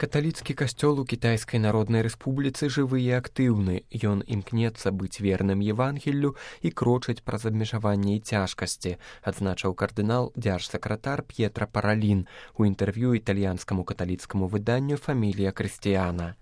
Каталіцкі касцёл у Кітайскай Народнай Рэспубліцы жывы і актыўны. Ён імкнецца быць верным Евангеллю і крочыць праз абмежаванні і цяжкасці, адзначыў кардынал дзяржсакратар П'етра Паралін у інтэрв'ю італьянскаму каталіцкаму выданню «Фамілія Крыстіяна».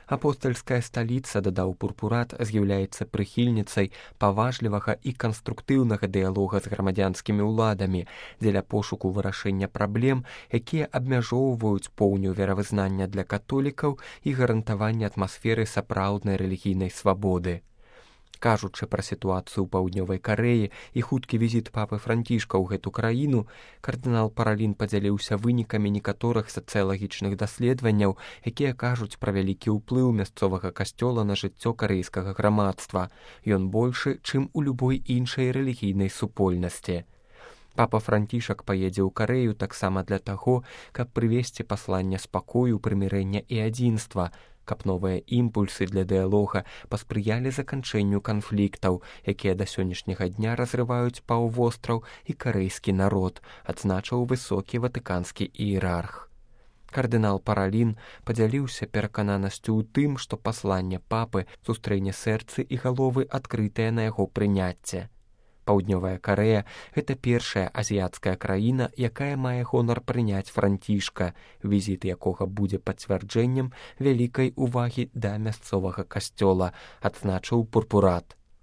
Апостальская сталіца, дадаў Пурпурат, з'яўляецца прыхільніцай паважлівага і канструктыўнага дыялога з грамадзянскімі ўладамі дзеля пошуку вырашэння праблем, якія абмяжоўваюць поўню веравызнання для католікаў і гарантавання атмасферы сапраўднай рэлігійнай свабоды. Кажучы пра сітуацыю ў Паўднёвай Карэі і хуткі візіт папы Францішка ў гэту краіну, кардынал Паралін падзяліўся вынікамі некаторых сацыялагічных даследаванняў, якія кажуць пра вялікі ўплыў мясцовага касцёла на жыццё карэйскага грамадства. Ён большы, чым у любой іншай рэлігійнай супольнасці. Папа Францішак паедзе ў Карэю таксама для таго, каб прывесці пасланне спакою, прымірэння і адзінства, каб новыя імпульсы для дыялога паспрыялі заканчэнню канфліктаў, якія да сённяшняга дня разрываюць паўвостраў і карэйскі народ, адзначыў высокі ватыканскі іерарх. Кардынал Паралін падзяліўся перакананасцю ў тым, што пасланне папы сустрэне сэрцы і галовы адкрытыя на яго прыняцце. Паўднёвая Карэя – гэта першая азіяцкая краіна, якая мае гонар прыняць Францішка, візіт якога будзе пацвярджэннем вялікай увагі да мясцовага касцёла, адзначыў Пурпурат.